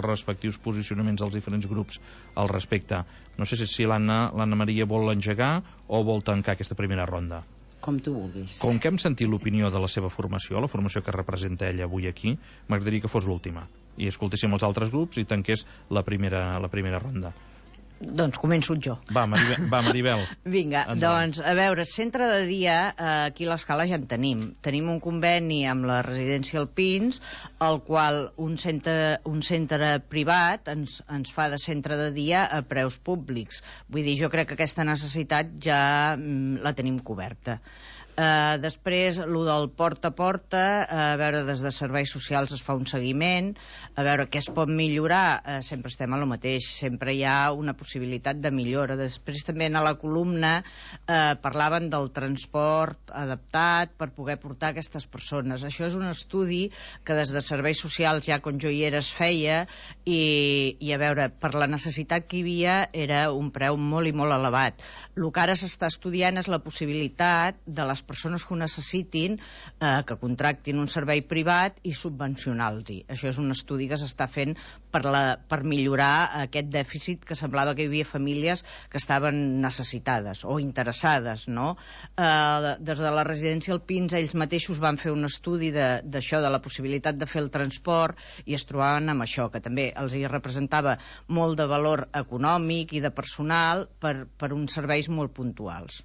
respectius posicionaments dels diferents grups al respecte. No sé si l'Anna Maria vol engegar o vol tancar aquesta primera ronda. Com tu vulguis. Com que hem sentit l'opinió de la seva formació, la formació que representa ella avui aquí, m'agradaria que fos l'última i escoltéssim els altres grups i tanqués la primera ronda. Doncs començo jo. Va, Maribel. Vinga, doncs, a veure, centre de dia, aquí a l'Escala ja en tenim. Tenim un conveni amb la residència Alpins, el qual un centre privat ens fa de centre de dia a preus públics. Vull dir, jo crec que aquesta necessitat ja la tenim coberta. Després, el del porta a porta, a veure, des de serveis socials es fa un seguiment, a veure què es pot millorar, sempre estem a lo mateix, sempre hi ha una possibilitat de millora. Després també a la columna parlaven del transport adaptat per poder portar aquestes persones. Això és un estudi que des de serveis socials ja quan jo hi era es feia i a veure, per la necessitat que hi havia era un preu molt i molt elevat. El que ara s'està estudiant és la possibilitat de les persones que ho necessitin que contractin un servei privat i subvencionar-los-hi. Això és un estudi que s'està fent per millorar aquest dèficit que semblava que hi havia famílies que estaven necessitades o interessades, no? Des de la residència Alpins ells mateixos van fer un estudi d'això, de la possibilitat de fer el transport, i es trobaven amb això, que també els hi representava molt de valor econòmic i de personal per uns serveis molt puntuals.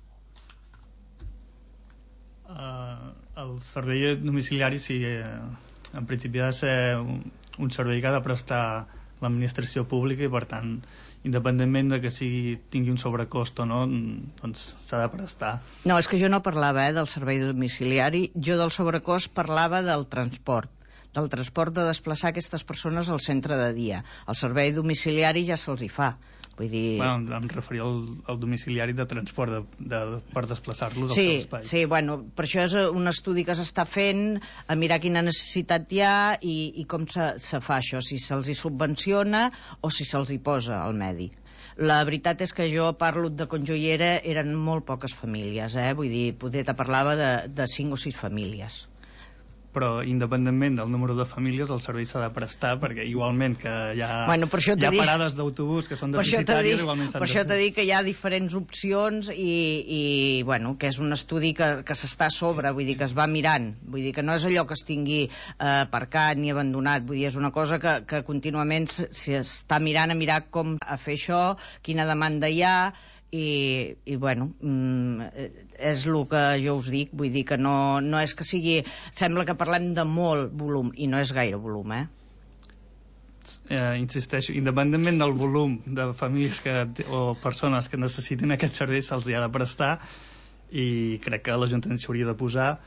El servei domiciliari sí, en principi ha de ser un servei que ha de prestar l'administració pública i per tant, independentment de que tingui un sobrecost o no, doncs s'ha de prestar. No, és que jo no parlava del servei domiciliari, jo del sobrecost parlava del transport de desplaçar aquestes persones al centre de dia. El servei domiciliari ja se'ls hi fa. Vull dir... Bueno, em referia al domiciliari de transport per desplaçar-los al seu espai. Sí, bueno, per això és un estudi que s'està fent, a mirar quina necessitat hi ha i com se fa això, si se'ls hi subvenciona o si se'ls hi posa al medi. La veritat és que jo parlo de quan jo hi era, eren molt poques famílies, vull dir, potser te parlava de 5 o 6 famílies. Però independentment del número de famílies el servei s'ha de prestar, perquè igualment que hi ha, parades d'autobús que són deficitàries, igualment s'han de... Per això t'he dit que hi ha diferents opcions i bueno, que és un estudi que s'està a sobre, vull dir, que es va mirant, vull dir que no és allò que es tingui aparcat ni abandonat, vull dir, és una cosa que contínuament s'està mirant a mirar com a fer això, quina demanda hi ha, i bueno, és el que jo us dic, vull dir que no és que sigui, sembla que parlem de molt volum i no és gaire volum, insisteixo, independentment del volum de famílies o persones que necessitin aquest servei se'ls hi ha de prestar i crec que l'Ajuntament s'hauria de posar,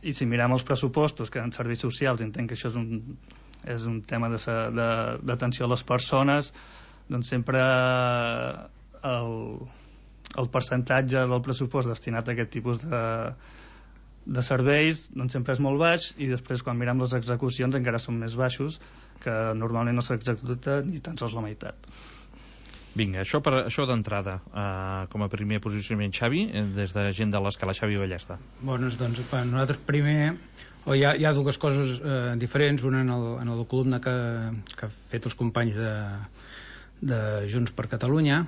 i si mirem els pressupostos que en serveis socials entenc que això és un tema d'atenció a les persones, doncs sempre el percentatge del pressupost destinat a aquest tipus de serveis doncs sempre és molt baix, i després quan mirem les execucions encara són més baixos, que normalment no s'executa ni tan sols la meitat. Vinga, això d'entrada, com a primer posicionament. Xavi, des de gent de l'Escala, Xavi Ballesta. Doncs nosaltres primer hi ha dues coses diferents, una en la columna que han fet els companys de Junts per Catalunya.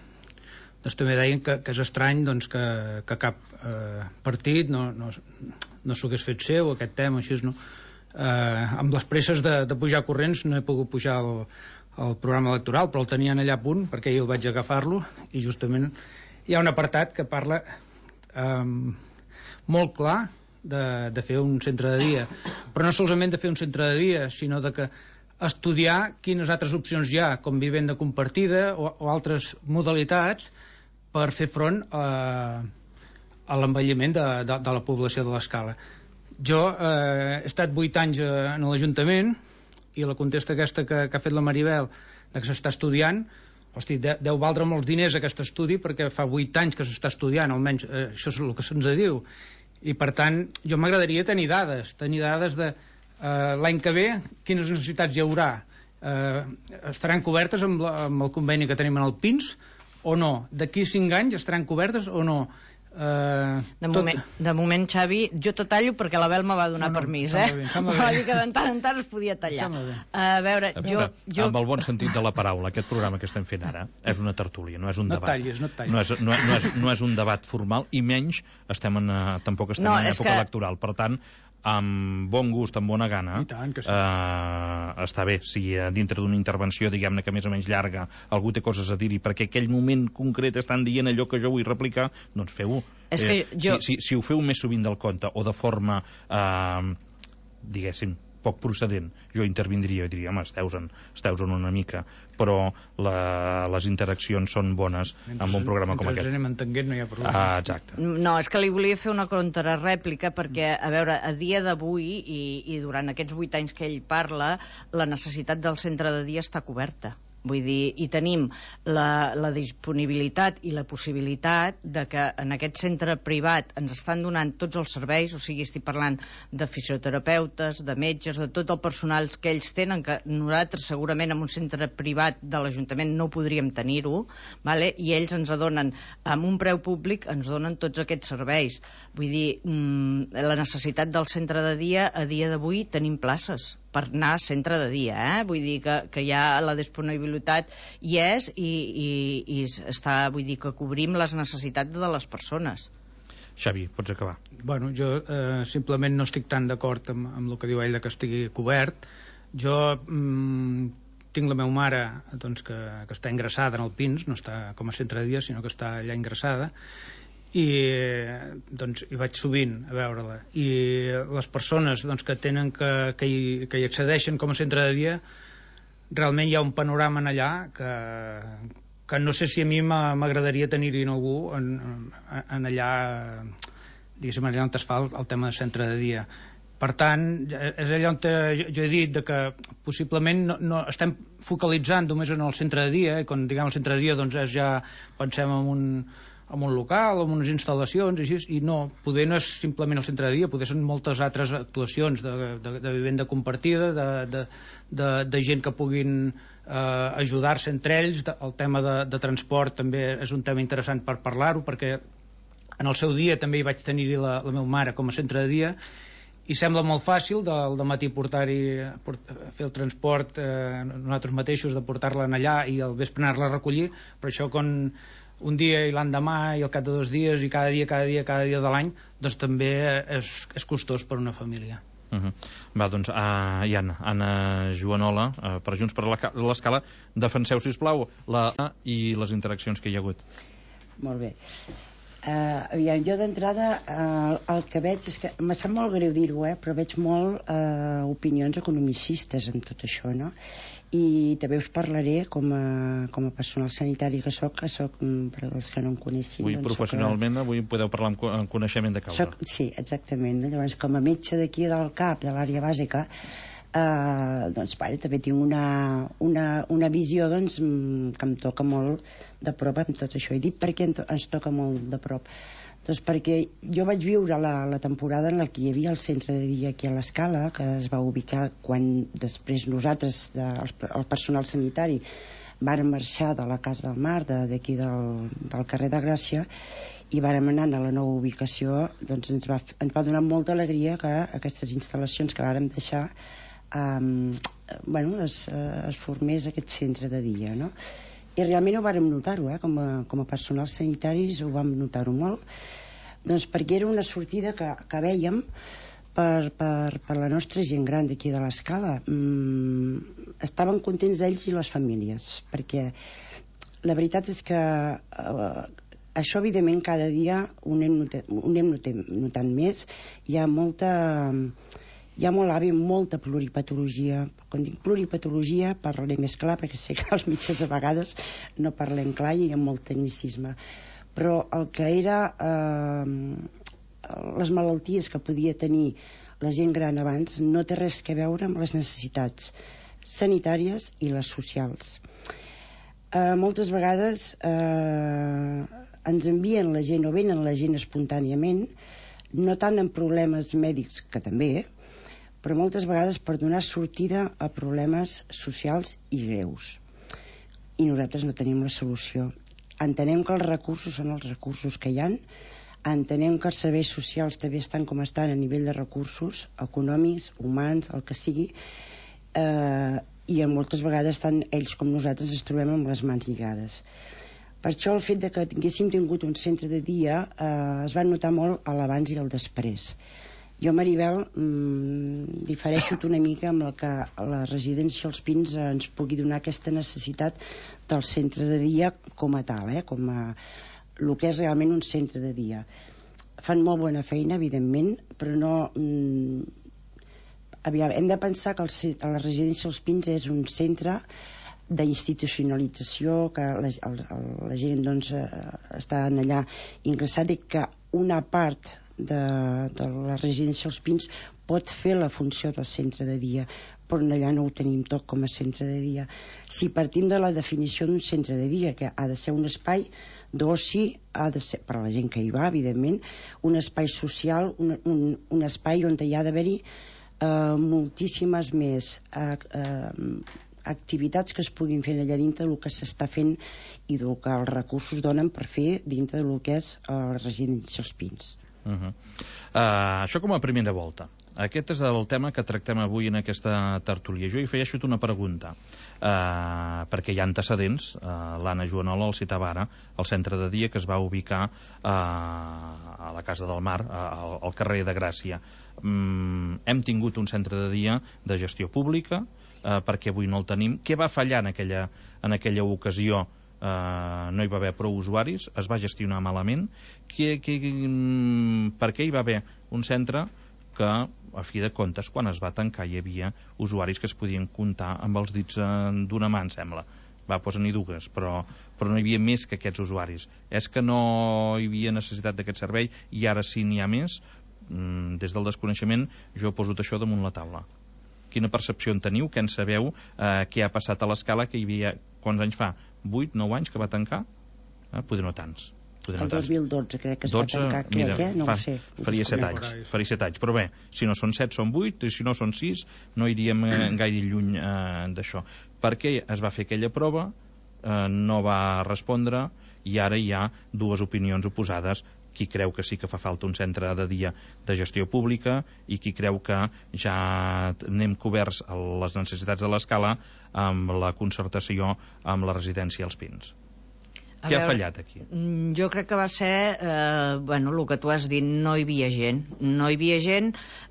Doncs també deien que és estrany doncs, que cap partit no s'ho hagués fet seu, aquest tema, així, no? Amb les presses de pujar corrents no he pogut pujar el programa electoral, però el tenien allà a punt, perquè ahir el vaig agafar-lo, i justament hi ha un apartat que parla molt clar de fer un centre de dia, però no solament de fer un centre de dia, sinó de que estudiar quines altres opcions hi ha, com vivenda compartida o altres modalitats per fer front a l'envelliment de la població de l'Escala. Jo he estat 8 anys en l'Ajuntament, i la contesta aquesta que ha fet la Maribel, que s'està estudiant, hosti, deu valdre molts diners aquest estudi, perquè fa 8 anys que s'està estudiant, almenys això és el que se'ns diu, i per tant jo m'agradaria tenir dades de l'any que ve quines necessitats hi haurà, estaran cobertes amb el conveni que tenim en el PINS o no, d'aquí 5 anys estaran cobertes o no, De moment, Xavi, jo te tallo perquè la Bel me va donar permís, va dir que de tant en tant es podia tallar. A veure, jo... Amb el bon sentit de la paraula, aquest programa que estem fent ara és una tertúlia, no és un debat. No et tallis. No és un debat formal, i menys tampoc estem en època electoral. Per tant, amb bon gust, amb bona gana, està bé si dintre d'una intervenció, diguem-ne que més o menys llarga, algú té coses a dir-hi perquè aquell moment concret estan dient allò que jo vull replicar, doncs feu-ho. Si ho feu més sovint del compte o de forma diguéssim poc procedent, jo intervindria i diria, home, esteu-en una mica, però les interaccions són bones amb un programa com aquest. Anem entenguent, no hi ha problema. Exacte. No, és que li volia fer una contrarèplica perquè, a veure, a dia d'avui i durant aquests 8 anys que ell parla, la necessitat del centre de dia està coberta. Vull dir, i tenim la disponibilitat i la possibilitat de que en aquest centre privat ens estan donant tots els serveis, o sigui, estic parlant de fisioterapeutes, de metges, de tot el personal que ells tenen, que nosaltres segurament en un centre privat de l'Ajuntament no podríem tenir-ho, vale? I ells ens donen, amb un preu públic, ens donen tots aquests serveis. Vull dir, la necessitat del centre de dia, a dia d'avui tenim places per anar a centre de dia, vull dir que ja la disponibilitat hi és i està, vull dir que cobrim les necessitats de les persones. Xavi, pots acabar. Bueno, jo simplement no estic tan d'acord amb el que diu ell que estigui cobert. Jo tinc la meva mare doncs, que està ingressada en el PINS, no està com a centre de dia, sinó que està allà ingressada, i doncs hi vaig sovint a veure-la, i les persones doncs, que tenen que hi accedeixen com a centre de dia, realment hi ha un panorama en allà que no sé si a mi m'agradaria tenir-hi algú en allà, diguéssim, allà on es fa el tema de centre de dia. Per tant, és allà on jo he dit que possiblement no estem focalitzant només en el centre de dia, i quan diguem el centre de dia doncs ja pensem en un local o en unes instal·lacions i així, i no, poder no és simplement el centre de dia, poder són moltes altres actuacions de vivenda compartida, de gent que puguin ajudar-se entre ells. El tema de transport també és un tema interessant per parlar-ho, perquè en el seu dia també hi vaig tenir-hi la meva mare com a centre de dia, i sembla molt fàcil del matí fer el transport nosaltres mateixos, de portar-la allà i al vespre anar-la a recollir, però això quan un dia i l'endemà i al cap de 2 dies i cada dia de l'any, doncs també és costós per una família. Va, doncs, i Anna Joanola, per Junts per l'Escala, defenseu, sisplau, i les interaccions que hi ha hagut. Molt bé. Aviam, jo d'entrada el que veig és que em sap molt greu dir-ho, però veig molt opinions economicistes en tot això, no? I també us parlaré com a personal sanitari que soc, per als que no em coneixin. Avui professionalment, avui podeu parlar amb coneixement de causa. Sí, exactament. Llavors, com a metge d'aquí del CAP, de l'àrea bàsica, doncs també tinc una visió doncs, que em toca molt de prop amb tot això. He dit per què ens toca molt de prop. Doncs perquè jo vaig viure la temporada en la que hi havia el centre de dia aquí a l'Escala, que es va ubicar quan després nosaltres, el personal sanitari, vàrem marxar de la Casa del Mar, d'aquí del carrer de Gràcia, i vàrem anar a la nova ubicació. Doncs ens va donar molta alegria que aquestes instal·lacions que vàrem deixar es formés aquest centre de dia, no? I realment ho vàrem notar-ho, com a personal sanitaris ho vam notar-ho molt, doncs perquè era una sortida que vèiem per la nostra gent gran d'aquí de l'Escala. Estaven contents ells i les famílies, perquè la veritat és que això evidentment cada dia ho anem notant més. Hi ha molt molta pluripatologia. Quan dic pluripatologia parlaré més clar, perquè sé que els metges a vegades no parlem clar i hi ha molt tecnicisme, però el que era les malalties que podia tenir la gent gran abans no té res a veure amb les necessitats sanitàries i les socials. Moltes vegades ens envien la gent o venen la gent espontàniament, no tant en problemes mèdics, que també, però moltes vegades per donar sortida a problemes socials i greus. I nosaltres no tenim la solució. Entenem que els recursos són els recursos que hi ha. Entenem que els serveis socials també estan com estan a nivell de recursos econòmics, humans, el que sigui, i moltes vegades ells com nosaltres ens trobem amb les mans lligades. Per això el fet de que tinguéssim tingut un centre de dia es va notar molt a l'abans i al després. Jo, Maribel, difereixo una mica amb el que la residència als Pins ens pugui donar aquesta necessitat del centre de dia com a tal, com a el que és realment un centre de dia. Fan molt bona feina, evidentment, però no... hem de pensar que la residència als Pins és un centre d'institucionalització, que la gent doncs està allà ingressada i que una part de la residència als Pins pot fer la funció del centre de dia, però allà no ho tenim tot com a centre de dia. Si partim de la definició d'un centre de dia, que ha de ser un espai d'oci, ha de ser, per a la gent que hi va, evidentment, un espai social, un espai on hi ha d'haver-hi moltíssimes més activitats que es puguin fer allà dintre del que s'està fent i del que els recursos donen per fer dintre del que és la residència als Pins. Això com a primera volta. Aquest és el tema que tractem avui en aquesta tertúlia. Jo hi afegeixo una pregunta, perquè hi ha antecedents. L'Anna Joanola el citava ara, el centre de dia que es va ubicar a la Casa del Mar, al carrer de Gràcia. Hem tingut un centre de dia de gestió pública, perquè avui no el tenim. Què va fallar en aquella ocasió? No hi va haver prou usuaris, es va gestionar malament. Per què hi va haver un centre que, a fi de comptes, quan es va tancar hi havia usuaris que es podien comptar amb els dits d'una mà, em sembla. N'hi dues, però no hi havia més que aquests usuaris. És que no hi havia necessitat d'aquest servei i ara sí n'hi ha més? Des del desconeixement jo he posat això damunt la taula. Quina percepció en teniu? Què en sabeu? Què ha passat a l'Escala, que hi havia, quants anys fa? 8, 9 anys que va tancar? Poder no tants. El 2012 crec que es va tancar, no ho sé. Faria 7 anys, però bé, si no són 7 són 8, i si no són 6 no iríem gaire lluny d'això. Per què es va fer aquella prova? No va respondre, i ara hi ha dues opinions oposades. Qui creu que sí que fa falta un centre de dia de gestió pública i qui creu que ja anem coberts a les necessitats de l'Escala amb la concertació amb la residència als Pins. Què ha fallat aquí? Jo crec que va ser el que tu has dit, no hi havia gent. No hi havia gent,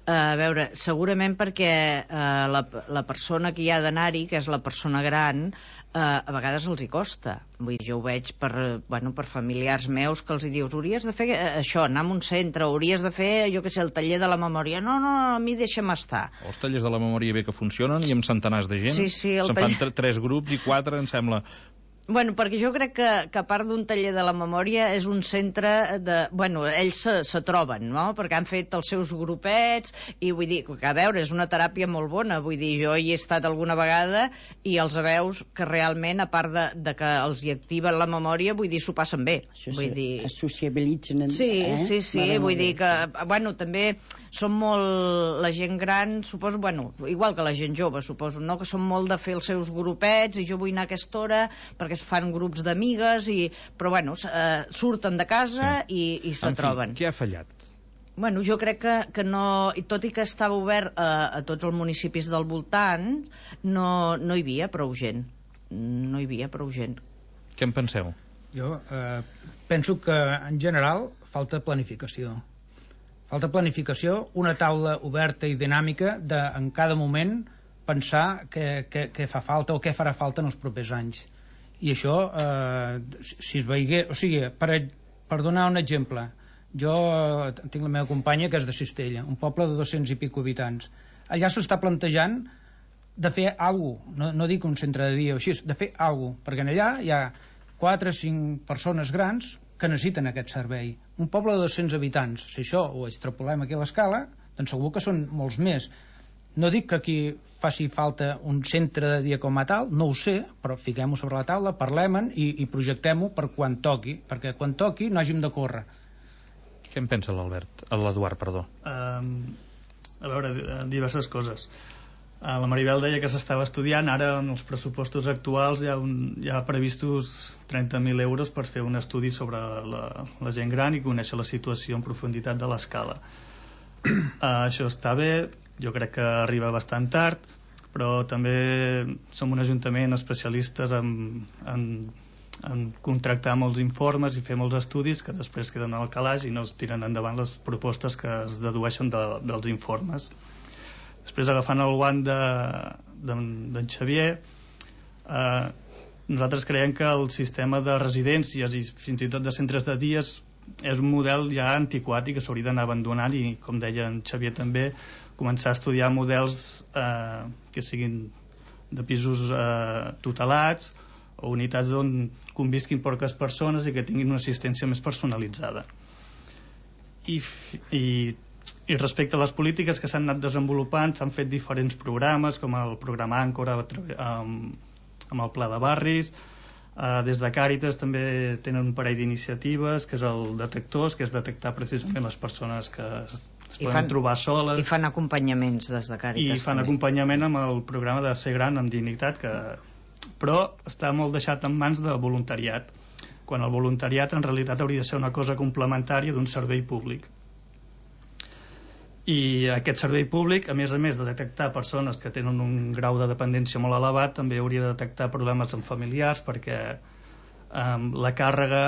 a veure, segurament perquè la persona que hi ha d'anar-hi, que és la persona gran, a vegades els hi costa. Vull dir, jo ho veig per familiars meus que els hi dius, hauries de fer això, anar a un centre, hauries de fer, jo què sé, el taller de la memòria. No, a mi deixa'm estar. Els tallers de la memòria bé que funcionen i amb centenars de gent. Sí, se'n fan 3 grups i 4, em sembla. Bueno, perquè jo crec que a part d'un taller de la memòria és un centre de... Bueno, ells se troben, no?, perquè han fet els seus grupets i vull dir, que a veure, és una teràpia molt bona, vull dir, jo hi he estat alguna vegada i els veus que realment, a part de que els hi activen la memòria, vull dir, s'ho passen bé. Vull dir... Es sociabilitzen. Sí, vull dir que, bueno, també són molt... La gent gran, suposo, bueno, igual que la gent jove, suposo, no?, que són molt de fer els seus grupets i jo vull anar a aquesta hora perquè es fan grups d'amigues, però bueno, surten de casa i se troben. Què ha fallat? Bueno, jo crec que no, tot i que estava obert a tots els municipis del voltant, no hi havia prou gent. No hi havia prou gent. Què en penseu? Jo penso que en general falta planificació. Falta planificació, una taula oberta i dinàmica de en cada moment pensar què fa falta o què farà falta en els propers anys. I això, si es veigués... O sigui, per donar un exemple, jo tinc la meva companya que és de Cistella, un poble de 200 i pico habitants. Allà s'està plantejant de fer alguna cosa, no dic un centre de dia o així, de fer alguna cosa, perquè allà hi ha 4 o 5 persones grans que necessiten aquest servei. Un poble de 200 habitants, si això ho extrapolem aquí a l'Escala, doncs segur que són molts més. No dic que aquí faci falta un centre de dia com a tal, no ho sé, però fiquem-ho sobre la taula, parlem-en i projectem-ho per quan toqui, perquè quan toqui no hàgim de córrer. Què en pensa l'Eduard, perdó? A veure, diverses coses. La Maribel deia que s'estava estudiant, ara en els pressupostos actuals hi ha previstos 30.000 euros per fer un estudi sobre la gent gran i conèixer la situació en profunditat de l'escala. Això està bé, jo crec que arriba bastant tard, però també som un ajuntament especialistes en contractar molts informes i fer molts estudis que després queden al calaix i no es tiren endavant les propostes que es dedueixen dels informes. Després, agafant el guant d'en Xavier, nosaltres creiem que el sistema de residències i fins i tot de centres de dies és un model ja antiquat i que s'hauria d'anar abandonant i, com deia en Xavier també, començar a estudiar models que siguin de pisos tutelats o unitats on convisquin poques persones i que tinguin una assistència més personalitzada. I respecte a les polítiques que s'han anat desenvolupant, s'han fet diferents programes, com el programa Àncora amb el Pla de Barris. Des de Càritas també tenen un parell d'iniciatives, que és el Detectors, que és detectar precisament les persones que es poden trobar soles. I fan acompanyaments des de Càritas. I fan acompanyament amb el programa de Ser Gran amb Dignitat, però està molt deixat en mans de voluntariat, quan el voluntariat en realitat hauria de ser una cosa complementària d'un servei públic. I aquest servei públic, a més de detectar persones que tenen un grau de dependència molt elevat, també hauria de detectar problemes amb familiars, perquè la càrrega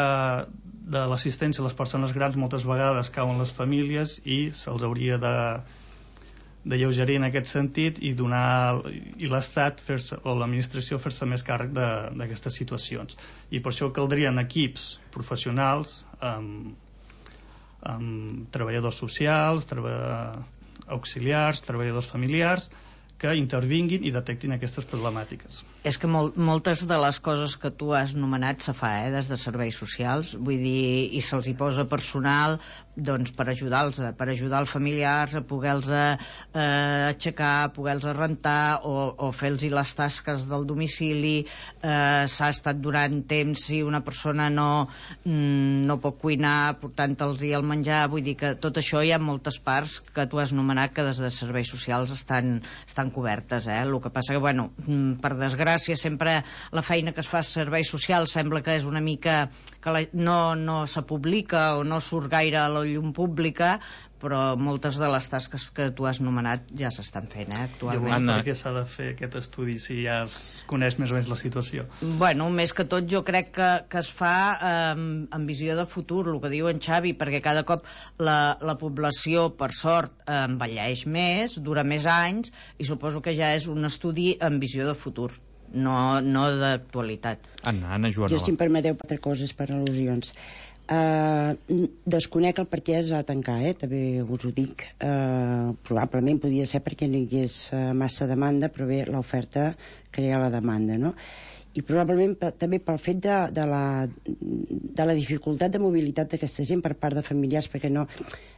de l'assistència a les persones grans moltes vegades cau en les famílies i se'ls hauria de lleugerir en aquest sentit i l'Estat o l'administració fer-se més càrrec d'aquestes situacions. I per això caldrien equips professionals amb treballadors socials, auxiliars, treballadors familiars, que intervinguin i detectin aquestes problemàtiques. És que moltes de les coses que tu has nomenat se fa des de serveis socials, vull dir, i se'ls hi posa personal doncs per ajudar-los, per ajudar els familiars a poder-los aixecar, poder-los rentar o fer-los les tasques del domicili. S'ha estat durant temps si una persona no pot cuinar, portant-los el menjar, vull dir que tot això hi ha moltes parts que tu has nomenat que des de serveis socials estan cobertes. El que passa que, bueno, per desgràcia, sempre la feina que es fa a serveis socials sembla que és una mica que no se publica o no surt gaire a la llum pública, però moltes de les tasques que tu has nomenat ja s'estan fent, actualment. Per què s'ha de fer aquest estudi si ja es coneix més o menys la situació? Bueno, més que tot jo crec que es fa amb visió de futur, el que diu en Xavi, perquè cada cop la població, per sort, envelleix més, dura més anys, i suposo que ja és un estudi amb visió de futur, no d'actualitat. Anna Joanola. Jo, si em permeteu, 4 coses per al·lusions. Desconec el per què es va tancar, també us ho dic. Probablement podria ser perquè no hi hagués massa demanda, però bé, l'oferta crea la demanda, no? I probablement també pel fet de la dificultat de mobilitat d'aquesta gent per part de familiars, perquè no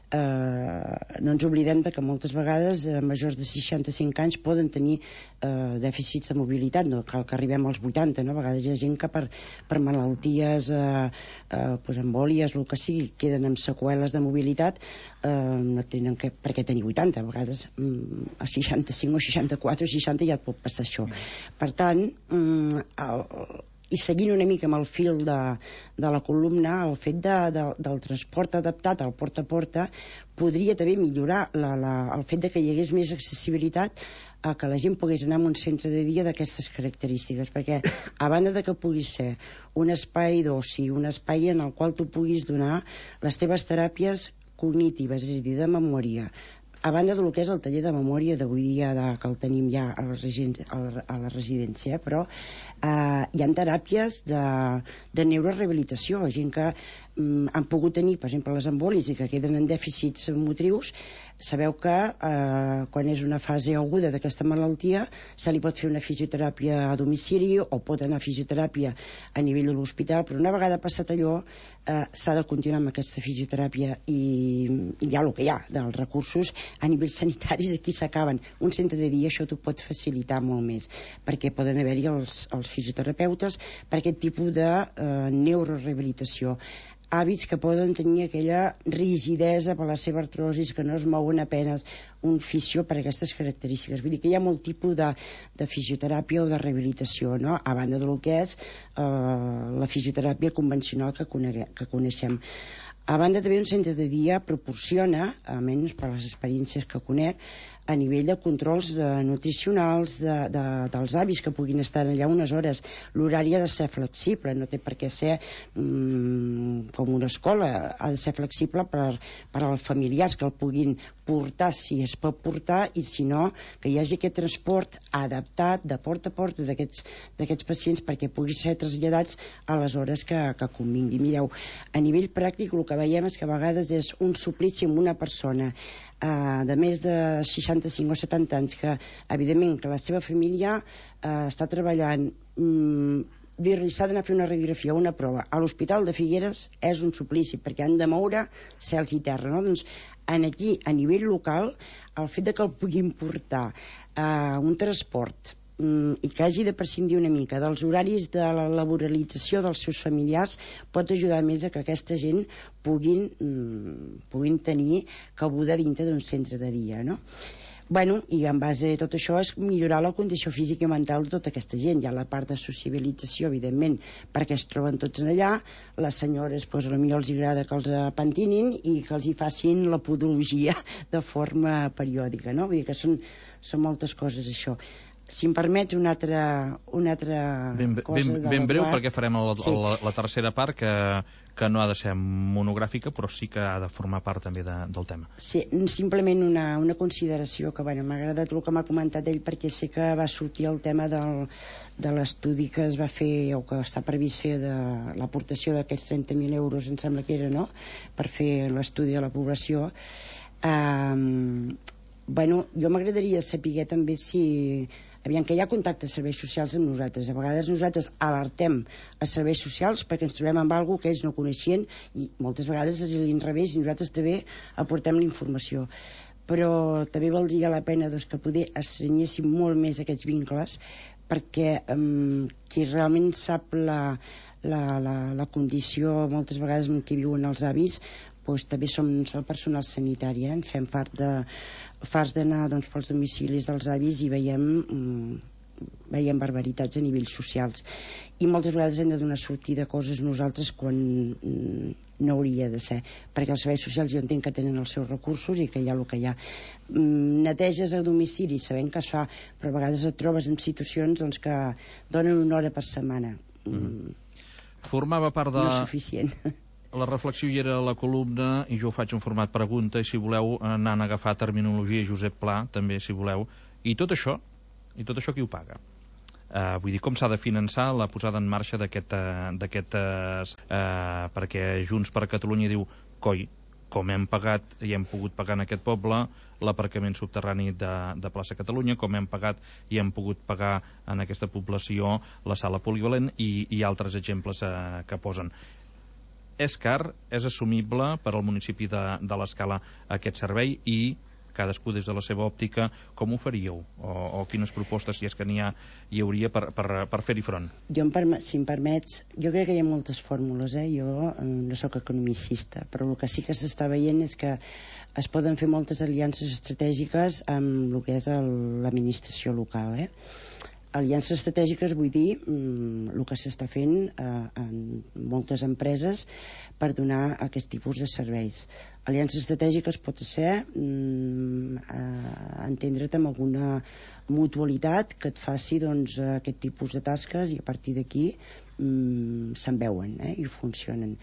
ens oblidem que moltes vegades majors de 65 anys poden tenir dèficits de mobilitat, no cal que arribem als 80, no? A vegades hi ha gent que per malalties embòlies, el que sigui, queden amb seqüeles de mobilitat, no tenen per què tenir 80, a vegades a 65 o 64 o 60 ja et pot passar això. Per tant, i seguint una mica amb el fil de la columna, el fet del transport adaptat al porta a porta podria també millorar el fet de que hi hagués més accessibilitat a que la gent pogués anar a un centre de dia d'aquestes característiques, perquè a banda de que pugui ser un espai d'oci, un espai en el qual tu puguis donar les teves teràpies cognitives, és a dir, de memòria, a banda del que és el taller de memòria d'avui dia que el tenim ja a la residència, però hi ha teràpies de neurorehabilitació, gent que han pogut tenir, per exemple, les embòlies i que queden en dèficits motrius. Sabeu que quan és una fase aguda d'aquesta malaltia se li pot fer una fisioteràpia a domicili o pot anar a fisioteràpia a nivell de l'hospital, però una vegada passat allò s'ha de continuar amb aquesta fisioteràpia i hi ha el que hi ha dels recursos a nivell sanitaris, aquí s'acaben. Un centre de dia això t'ho pot facilitar molt més, perquè poden haver-hi els fisioterapeutes per aquest tipus de neurorehabilitació. hàbits que poden tenir aquella rigidesa per la seva artrosis, que no es mouen a penes, un fisio per aquestes característiques. Vull dir que hi ha molt tipus de fisioteràpia o de rehabilitació, no? A banda del que és la fisioteràpia convencional que coneixem. A banda també un centre de dia proporciona, almenys per les experiències que conec, a nivell de controls nutricionals dels avis que puguin estar allà unes hores. L'horari ha de ser flexible, no té per què ser com una escola, ha de ser flexible per als familiars que el puguin portar si es pot portar, i si no, que hi hagi aquest transport adaptat de porta a porta d'aquests pacients perquè puguin ser traslladats a les hores que convingui. Mireu, a nivell pràctic el que veiem és que a vegades és un suplici amb una persona de més de 65 o 70 anys que, evidentment, que la seva família està treballant, dir-li s'ha d'anar a fer una radiografia o una prova a l'Hospital de Figueres és un suplici perquè han de moure cels i terra, no? Doncs aquí, a nivell local, el fet de que el puguin portar un transport i que hagi de prescindir una mica dels horaris de la laboralització dels seus familiars pot ajudar més a que aquesta gent puguin tenir cabuda dintre d'un centre de dia, no? Bueno, i en base a tot això és millorar la condició física i mental de tota aquesta gent. Hi ha la part de sociabilització, evidentment, perquè es troben tots allà, les senyores, doncs, potser els agrada que els pentinin i que els hi facin la podologia de forma periòdica, no? Vull dir que són moltes coses, això. Si em permets una altra cosa... Ben breu, perquè farem la tercera part, que no ha de ser monogràfica, però sí que ha de formar part també del tema. Sí, simplement una consideració que, bueno, m'ha agradat el que m'ha comentat ell, perquè sé que va sortir el tema de l'estudi que es va fer, o que està previst fer, de l'aportació d'aquests 30.000 euros, em sembla que era, no?, per fer l'estudi de la població. Bueno, jo m'agradaria saber també si... Aviam, que hi ha contacte a serveis socials amb nosaltres. A vegades nosaltres alertem a serveis socials perquè ens trobem amb alguna que ells no coneixien i moltes vegades és l'inrevés i nosaltres també aportem la informació. Però també valdria la pena que poder estrenyéssim molt més aquests vincles perquè qui realment sap la condició moltes vegades en què viuen els avis, doncs també som el personal sanitari, en fem part d'anar pels domicilis dels avis i veiem barbaritats a nivells socials i moltes vegades hem de donar sortida a coses nosaltres quan no hauria de ser, perquè els serveis socials jo entenc que tenen els seus recursos i que hi ha el que hi ha. Neteges a domicili sabem que es fa, però a vegades et trobes en situacions que donen una hora per setmana. Formava part de... No és suficient. La reflexió hi era a la columna i jo ho faig en format pregunta i si voleu anant a agafar terminologia Josep Pla, també si voleu, i tot això qui ho paga? Vull dir, com s'ha de finançar la posada en marxa perquè Junts per Catalunya diu, coi, com hem pagat i hem pogut pagar en aquest poble l'aparcament subterrani de plaça Catalunya, com hem pagat i hem pogut pagar en aquesta població la sala polivalent i altres exemples que posen. És car, és assumible per al municipi de l'Escala aquest servei i cadascú des de la seva òptica com ho faríeu? O quines propostes, si és que n'hi hauria per fer-hi front? Si em permets, jo crec que hi ha moltes fórmules, jo no sóc economicista, però el que sí que s'està veient és que es poden fer moltes aliances estratègiques amb el que és l'administració local, Aliances estratègiques vull dir el que s'està fent en moltes empreses per donar aquest tipus de serveis. Aliances estratègiques pot ser entendre't amb alguna mutualitat que et faci aquest tipus de tasques i a partir d'aquí se'n veuen i funcionen.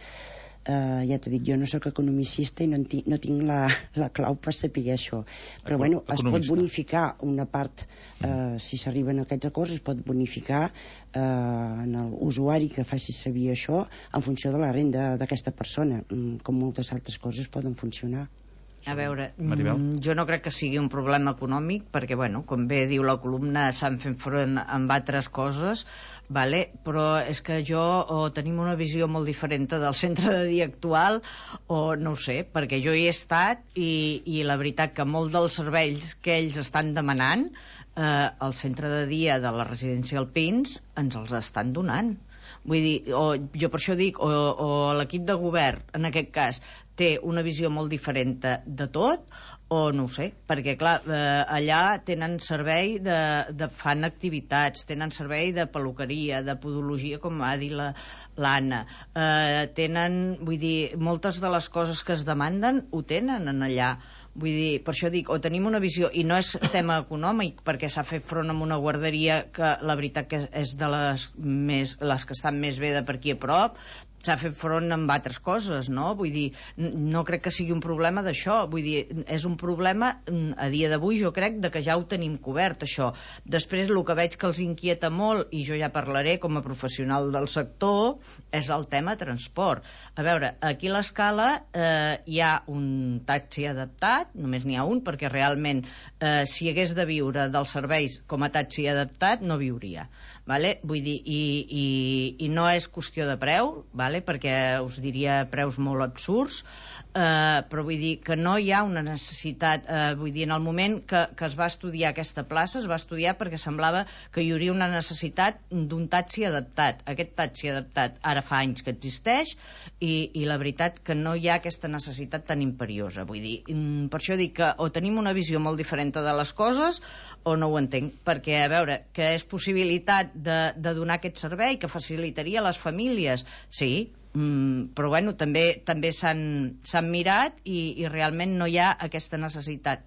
Ja t'he dit, jo no sóc economicista i no tinc la clau per saber això, però bueno, es pot bonificar una part, si s'arriben a aquests acords es pot bonificar en l'usuari que faci servir això en funció de la renda d'aquesta persona, com moltes altres coses poden funcionar. A veure, jo no crec que sigui un problema econòmic perquè, bueno, com bé diu la columna, s'han fet front amb altres coses, però és que tenim una visió molt diferent del centre de dia actual, o no ho sé, perquè jo hi he estat i la veritat que molts dels serveis que ells estan demanant el centre de dia de la residència Alpins ens els estan donant. Vull dir, jo per això dic, o l'equip de govern, en aquest cas, té una visió molt diferent de tot, o no ho sé, perquè clar, allà tenen servei fan activitats, tenen servei de peluqueria, de podologia, com va dir l'Anna, tenen, vull dir, moltes de les coses que es demanden ho tenen en allà. Vull dir, per això dic, o tenim una visió, i no és tema econòmic, perquè s'ha fet front amb una guarderia que la veritat que és de les que estan més bé de per aquí a prop, s'ha fet front amb altres coses, no? Vull dir, no crec que sigui un problema d'això, vull dir, és un problema a dia d'avui, jo crec, de que ja ho tenim cobert, això. Després, el que veig que els inquieta molt, i jo ja parlaré com a professional del sector, és el tema transport. A veure, aquí a l'Escala hi ha un taxi adaptat, només n'hi ha un, perquè realment, si hagués de viure dels serveis com a taxi adaptat, no viuria. Vale? Vull dir, i no és qüestió de preu, vale? Perquè us diria preus molt absurds, però vull dir que no hi ha una necessitat, vull dir, en el moment que es va estudiar aquesta plaça, es va estudiar perquè semblava que hi hauria una necessitat d'un taxi adaptat. Aquest taxi adaptat ara fa anys que existeix i la veritat que no hi ha aquesta necessitat tan imperiosa. Vull dir, per això dic que o tenim una visió molt diferent de les coses o no ho entenc, perquè a veure, que és possibilitat de donar aquest servei, que facilitaria a les famílies, sí, però bueno, també s'han mirat i realment no hi ha aquesta necessitat.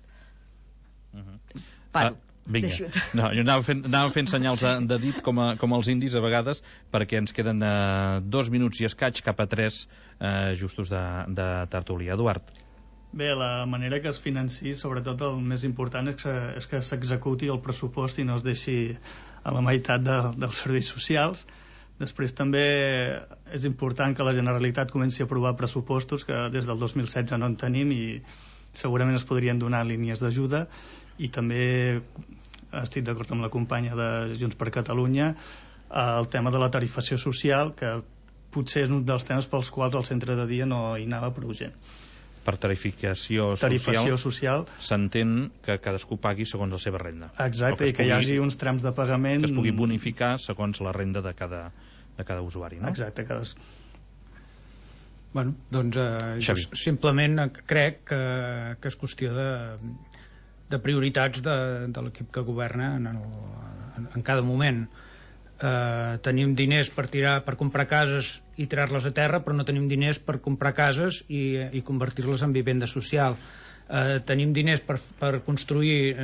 Paro. Vinga, no, jo anava fent senyals de dit com els indis a vegades, perquè ens queden 2 minuts i escaig cap a 3 justos de tertúlia. Eduard. Bé, la manera que es financi, sobretot el més important és que s'executi el pressupost i no es deixi a la meitat dels serveis socials. Després també és important que la Generalitat comenci a aprovar pressupostos, que des del 2016 no en tenim i segurament es podrien donar línies d'ajuda. I també estic d'acord amb la companya de Junts per Catalunya, el tema de la tarifació social, que potser és un dels temes pels quals el centre de dia no hi anava prou gent. Per tarifació social s'entén que cadascú pagui segons la seva renda. Exacte, i que hi hagi uns trams de pagament... Que es pugui bonificar segons la renda de cada usuari, no? Exacte, Bueno, doncs jo simplement crec que és qüestió de prioritats de l'equip que governa en cada moment. Tenim diners per comprar cases i tirar-les a terra, però no tenim diners per comprar cases i convertir-les en vivenda social. Tenim diners per construir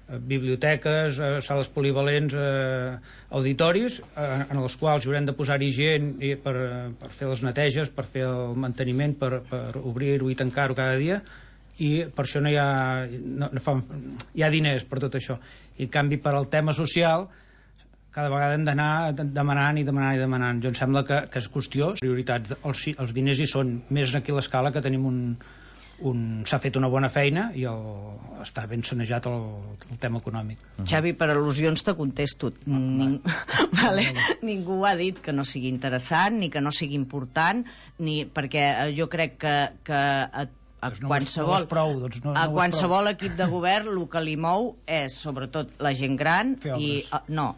biblioteques, sales polivalents, auditoris, en els quals haurem de posar-hi gent per fer les neteges, per fer el manteniment, per obrir-ho i tancar-ho cada dia, i per això no hi ha diners per tot això. I en canvi, per al tema social, cada vegada hem d'anar demanant. Jo em sembla que és qüestió, prioritats, els diners hi són, més aquí a l'Escala, que tenim s'ha fet una bona feina i està ben sanejat el tema econòmic. Xavi, per al·lusions te contesto. Ningú ha dit que no sigui interessant ni que no sigui important, perquè jo crec que a qualsevol equip de govern el que li mou és sobretot la gent gran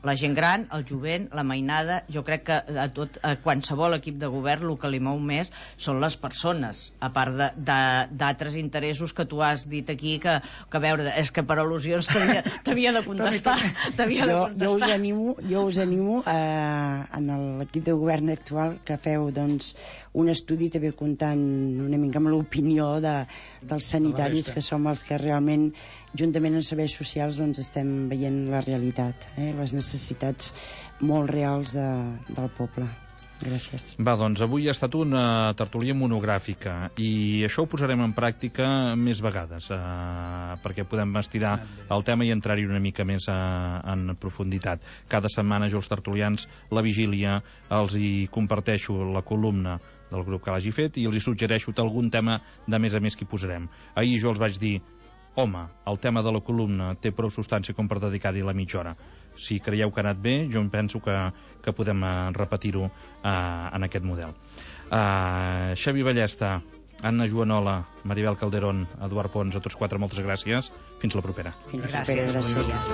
la gent gran, el jovent, la mainada. Jo crec que a qualsevol equip de govern el que li mou més són les persones, a part d'altres interessos que tu has dit aquí que a veure, és que per al·lusions t'havia de contestar. Jo us animo en l'equip de govern actual que feu doncs un estudi també comptant una mica amb l'opinió dels sanitaris, que som els que realment juntament amb serveis socials doncs estem veient la realitat, les necessitats molt reals del poble. Gràcies. Va, doncs avui ha estat una tertúlia monogràfica i això ho posarem en pràctica més vegades, perquè podem estirar el tema i entrar-hi una mica més en profunditat. Cada setmana jo els tertulians, la vigília, els hi comparteixo la columna del grup que l'hagi fet i els hi suggereixo algun tema de més a més que hi posarem. Ahir jo els vaig dir, home, el tema de la columna té prou substància com per dedicar-hi la mitja hora. Si creieu que ha anat bé, jo em penso que podem repetir-ho en aquest model. Xavi Ballesta, Anna Joanola, Maribel Calderón, Eduard Pons, a tots quatre, moltes gràcies. Fins la propera. Gràcies.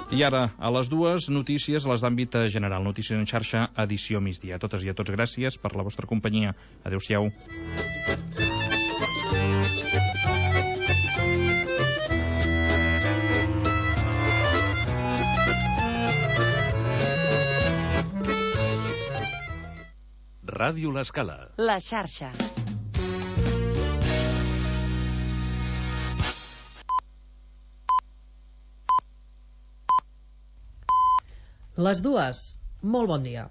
I ara, a les 2, notícies a les d'àmbit general. Notícies en xarxa, edició migdia. A totes i a tots, gràcies per la vostra companyia. Adéu-siau. Ràdio L'Escala. La xarxa. Les 2. Molt bon dia.